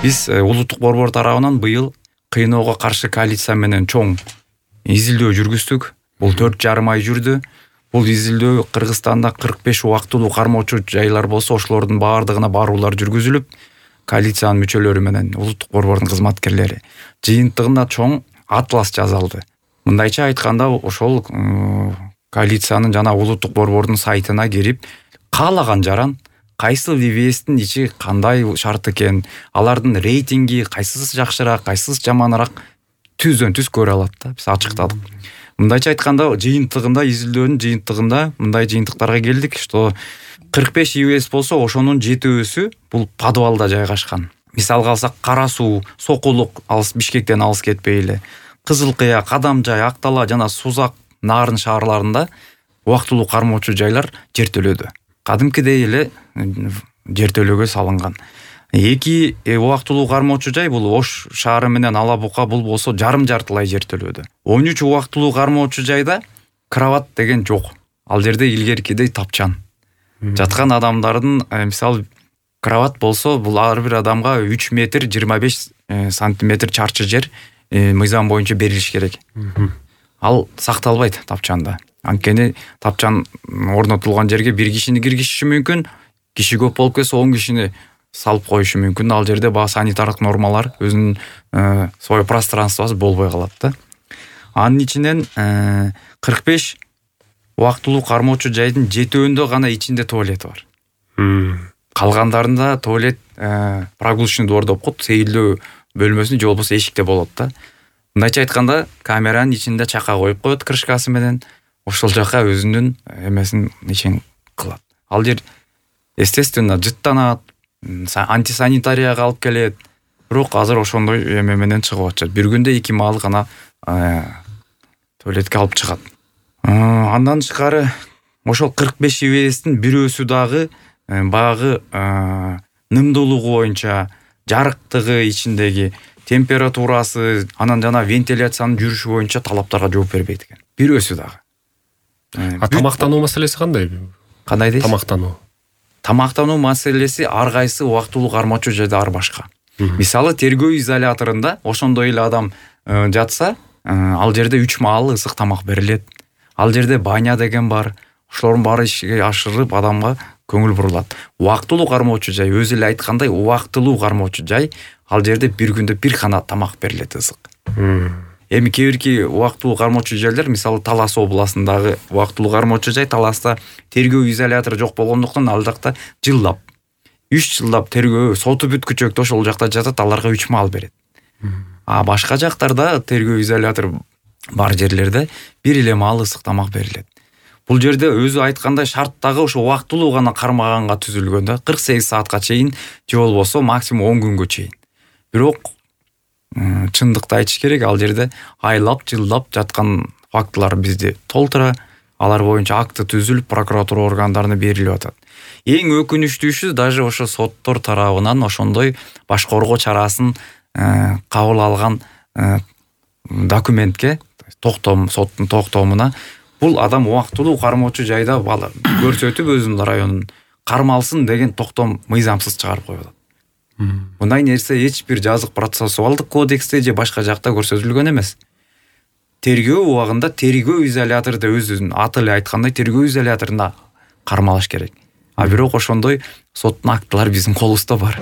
Биз улуттук борбор тарабынан быйыл кыйноого каршы коалиция менен чоң изилдөө жүргүздүк. Бул 4,5 ай жүрдү. Бул изилдөө Кыргызстанда 45 убактылуу кармоочу жайлар болсо, ошолордун баардыгына баруулар жүргүзүлүп, коалициянын мүчөлөрү менен улуттук борбордун кызматкерлери жыйынтыгында чоң атлас жазалды. Мындайча айтканда, ошол коалициянын жана улуттук борбордун сайтына кирип, каалаган жаран кайсы ВВСтин ичи кандай шарт экен, алардын рейтинги кайсысы жакшыраак, кайсысы жаманыраак түздөн түз көрө алат да. Биз ачыктадык. Мындайча айтканда, жыйынтыгында, изилдөөнүн жыйынтыгында мындай жыйынтыктарга келдик, что 45 ВВС болсо, ошонун 7-өсү бул подвалда жайгашкан. Мисалга алсак, Кара суу, Сокулук, алыс Бишкектен алыс кетпей эле, Кызыл Кыя, Кадамжай, Актала жана Сузак, Нарын шаарларында убактылуу кармоочу жайлар жертөлөдү. Кадимкидей эле жертөлөгө салынган. 2 убактылуу кармоочу жай бул Ош шаары менен Ала Бука, бул болсо жарым-жартылай жертөлөдү. 13 убактылуу кармоочу жайда кровать деген жок. Ал жерде илгеркидей тапчан. Жаткан адамдардын, мисалы, кровать болсо, бул ар бир адамга 3 метр 25 сантиметр чарчы жер мыйзам боюнча берилиш керек. Ал сакталбайт тапчанда. Анткени тапчан орнотулган жерге бир кишини киргизиши мүмкүн, киши көп болуп кетсе 10 кишини салып коюшу мүмкүн. Ал жерде баа санитардык нормалар, өзүнүн свой пространствосы болбой калат да. Анын ичинен 45 убактылуу кармоочу жайдын 7-өндө гана ичинде туалет бар. Калгандарында туалет прогулочный двор деп коет, сейилдөө бөлмөсүндө же болбосо эшикте болот да. Мындайча айтканда, камеранын ичинде чака коюп коет крышкасы менен, ошол жака өзүнүн эмесин ишин кылат. Ал жер естественно жыттанат, антисанитарияга алып келет. Бирок азыр ошондой эме менен чыгып атышат. Bir күндө 2 маал гана туалетке алып чыгат. Андан тышкары ошол 45 ВВСтин бирөөсү дагы багы нымдуулугу боюнча, жарыктыгы ичиндеги температурасы, анан жана вентиляциянын жүрүшү боюнча талаптарга жооп бербейт экен. Бирөөсү дагы. Тамактануу маселеси кандай? Кандай дейсиз? Тамактануу маселеси ар кайсы убактылуу кармоочу жайда ар башка. Мисалы, тергөө изоляторунда ошондой эле адам жатса, ал жерде 3 маал ысык тамак берилет. Ал жерде баня деген бар. Ошолордун баары ишке ашырып адамга көңүл бурулат. Убактылуу кармоочу жай, өзү эле айткандай, убактылуу кармоочу жай, ал жерде bir күндө bir гана тамак берилет ысык. Эми кээ-бирки убактылуу кармоочу жайлар, мисалы Талас областындагы убактылуу кармоочу жай, Таласта тергөө изолятору жок болгондуктан ал жакта жылдап 3 жылдап тергөө соту бүткүчөктө ошол жакта жатат, аларга 3 маал берет. Башка жактарда тергөө изолятору бар жерлерде bir эле маал ысык тамак берилет. Бул жерде өзү айткандай шарттагы ошо убактылуу гана кармаганга түзүлгөн да, 48 саатка чейин же болбосо максимум 10 күнгө чейин. Бирок чындыкты айтыш керек, ал жерде айлап, жылдап жаткан фактылар бизде толтура, алар боюнча акты түзүлүп, прокуратура органдарына берилип атат. Эң өкүнүчтүүсү, даже ошо соттор тарабынан ошондой баш коргоо чарасын кабыл алган документке, соттун токтомуна бул адам убактылуу кармоочу жайда көрсөтүп өзүнүн районун кармалсын деген токтом мыйзамсыз чыгарып коюп атат. Мындай нерсе эч бир жазык процессуалдык кодексте же башка жакта көрсөтүлгөн эмес. Тергөө убагында тергөө изоляторунда өзүнүн аты эле айткандай тергөө изоляторунда кармалаш керек. Бирок ошондой соттун актылары биздин колубузда бар.